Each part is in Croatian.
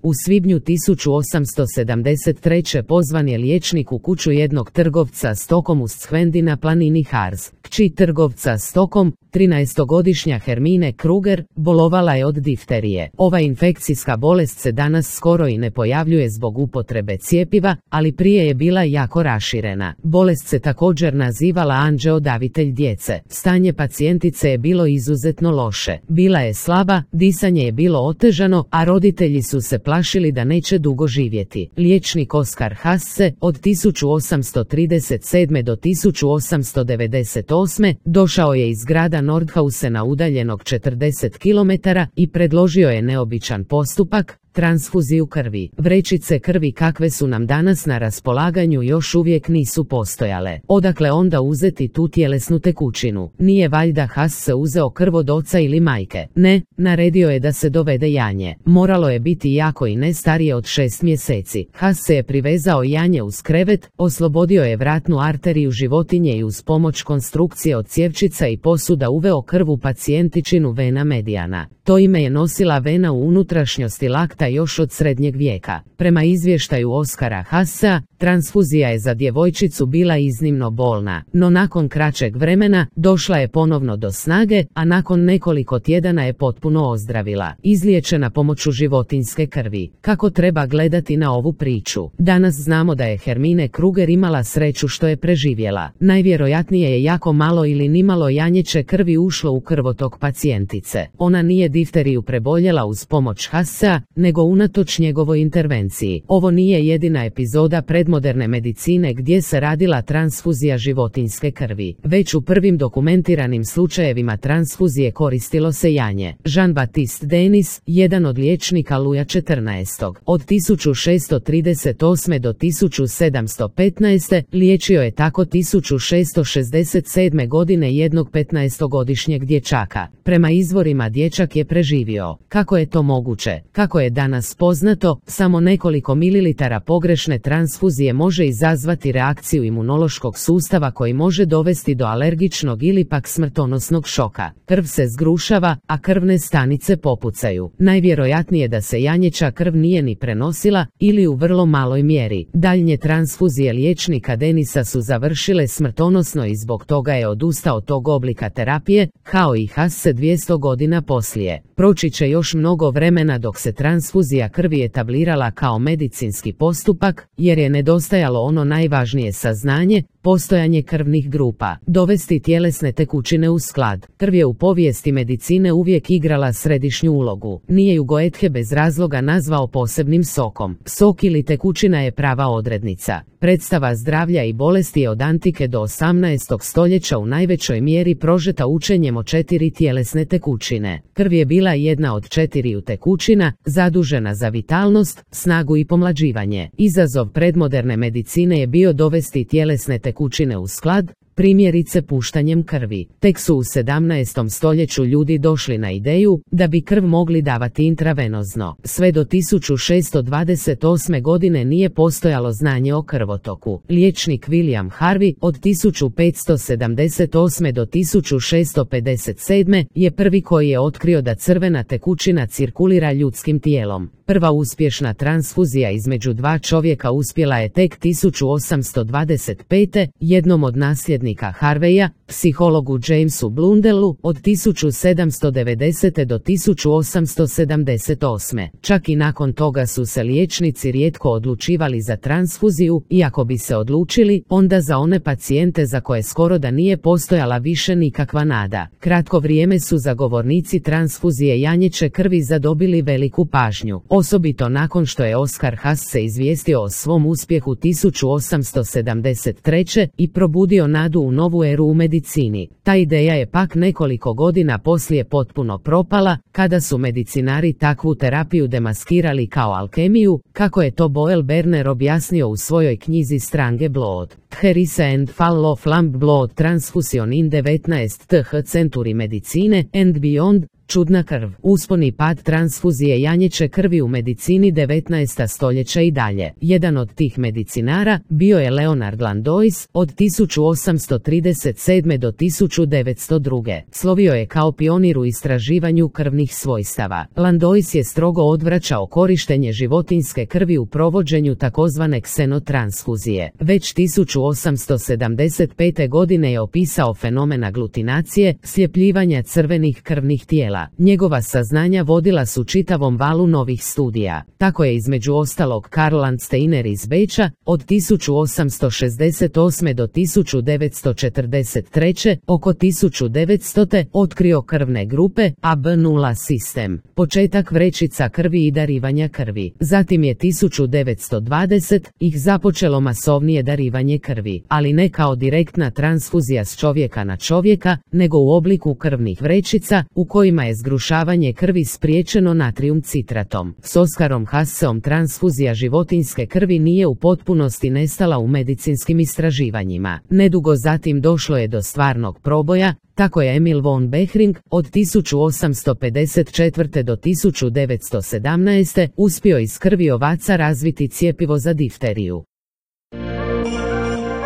U svibnju 1873. pozvan je liječnik u kuću jednog trgovca stokom u Schwendi na planini Harz. Kći trgovca stokom, 13-godišnja Hermine Kruger, bolovala je od difterije. Ova infekcijska bolest se danas skoro i ne pojavljuje zbog upotrebe cjepiva, ali prije je bila jako raširena. Bolest se također nazivala anđeodavitelj djece. Stanje pacijentice je bilo izuzetno loše. Bila je slaba, disanje je bilo otežano, a roditelji su se plašili da neće dugo živjeti. Liječnik Oskar Hasse, od 1837. do 1898. došao je iz grada Nordhausena udaljenog 40 km i predložio je neobičan postupak, transfuziju krvi. Vrećice krvi kakve su nam danas na raspolaganju još uvijek nisu postojale. Odakle onda uzeti tu tjelesnu tekućinu? Nije valjda Hasse uzeo krv od oca ili majke? Ne, naredio je da se dovede janje. Moralo je biti jako i ne starije od 6 mjeseci. Hasse je privezao janje uz krevet, oslobodio je vratnu arteriju životinje i uz pomoć konstrukcije od cjevčica i posuda uveo krv u pacijentičinu vena mediana. To ime je nosila vena u unutrašnjosti lakta još od srednjeg vijeka. Prema izvještaju Oskara Hassea, transfuzija je za djevojčicu bila iznimno bolna, no nakon kraćeg vremena došla je ponovno do snage, a nakon nekoliko tjedana je potpuno ozdravila. Izliječena pomoću životinjske krvi. Kako treba gledati na ovu priču? Danas znamo da je Hermine Kruger imala sreću što je preživjela. Najvjerojatnije je jako malo ili nimalo janjeće krvi ušlo u krvotok pacijentice. Ona nije difteriju preboljela uz pomoć Hassea, nego unatoč njegovoj intervenciji. Ovo nije jedina epizoda predmoderne medicine gdje se radila transfuzija životinjske krvi. Već u prvim dokumentiranim slučajevima transfuzije koristilo se janje. Jean-Baptiste Denis, jedan od liječnika Luja XIV. Od 1638. do 1715. liječio je tako 1667. godine jednog 15-godišnjeg dječaka. Prema izvorima dječak je preživio. Kako je to moguće? Kako je danas poznato, samo nekoliko mililitara pogrešne transfuzije može izazvati reakciju imunološkog sustava koji može dovesti do alergičnog ili pak smrtonosnog šoka. Krv se zgrušava, a krvne stanice popucaju. Najvjerojatnije da se janjeća krv nije ni prenosila ili u vrlo maloj mjeri. Daljnje transfuzije liječnika Denisa su završile smrtonosno i zbog toga je odustao od tog oblika terapije, kao i Hasse 200 godina poslije. Proći će još mnogo vremena dok se transfuzija krvi etablirala kao medicinski postupak, jer je nedostajalo ono najvažnije saznanje, postojanje krvnih grupa. Dovesti tjelesne tekućine u sklad. Krv je u povijesti medicine uvijek igrala središnju ulogu. Nije ju Goethe bez razloga nazvao posebnim sokom. Sok ili tekućina je prava odrednica. Predstava zdravlja i bolesti je od antike do 18. stoljeća u najvećoj mjeri prožeta učenjem o 4 tjelesne tekućine. Krv je bila jedna od 4 tekućina, zadužena za vitalnost, snagu i pomlađivanje. Izazov predmoderne medicine je bio dovesti tjelesne tekućine u sklad, primjerice puštanjem krvi. Tek su u 17. stoljeću ljudi došli na ideju da bi krv mogli davati intravenozno. Sve do 1628. godine nije postojalo znanje o krvotoku. Liječnik William Harvey od 1578. do 1657. je prvi koji je otkrio da crvena tekućina cirkulira ljudskim tijelom. Prva uspješna transfuzija između dva čovjeka uspjela je tek 1825. jednom od nasljednika Harveya, psihologu Jamesu Blundellu, od 1790. do 1878. Čak i nakon toga su se liječnici rijetko odlučivali za transfuziju, iako bi se odlučili, onda za one pacijente za koje skoro da nije postojala više nikakva nada. Kratko vrijeme su zagovornici transfuzije janjeće krvi zadobili veliku pažnju. Osobito nakon što je Oskar Hasse izvijestio o svom uspjehu 1873. i probudio nadu u novu eru u medicini. Ta ideja je pak nekoliko godina poslije potpuno propala, kada su medicinari takvu terapiju demaskirali kao alkemiju, kako je to Boel Berner objasnio u svojoj knjizi Strange Blood. Herise and Fall of Lamb Blood Transfusion in 19th Century Medicine and Beyond, Čudna krv. Uspon i pad transfuzije janjeće krvi u medicini 19. stoljeća i dalje. Jedan od tih medicinara bio je Leonard Landois, od 1837. do 1902. Slovio je kao pionir u istraživanju krvnih svojstava. Landois je strogo odvraćao korištenje životinjske krvi u provođenju takozvane ksenotransfuzije. Već 1875. godine je opisao fenomen aglutinacije, sljepljivanja crvenih krvnih tijela. Njegova saznanja vodila su čitavom valu novih studija. Tako je između ostalog Karl Landsteiner iz Beča od 1868. do 1943. oko 1900. otkrio krvne grupe AB0 sistem, početak vrećica krvi i darivanja krvi. Zatim je 1920. ih započelo masovnije darivanje krvi, ali ne kao direktna transfuzija s čovjeka na čovjeka, nego u obliku krvnih vrećica u kojima je zgrušavanje krvi spriječeno natrijum citratom. S Oskarom Hasseom transfuzija životinjske krvi nije u potpunosti nestala u medicinskim istraživanjima. Nedugo zatim došlo je do stvarnog proboja. Tako je Emil von Behring od 1854. do 1917. uspio iz krvi ovaca razviti cjepivo za difteriju.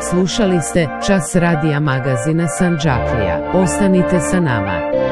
Slušali ste Čas radija magazina Sandžaklija. Ostanite sa nama.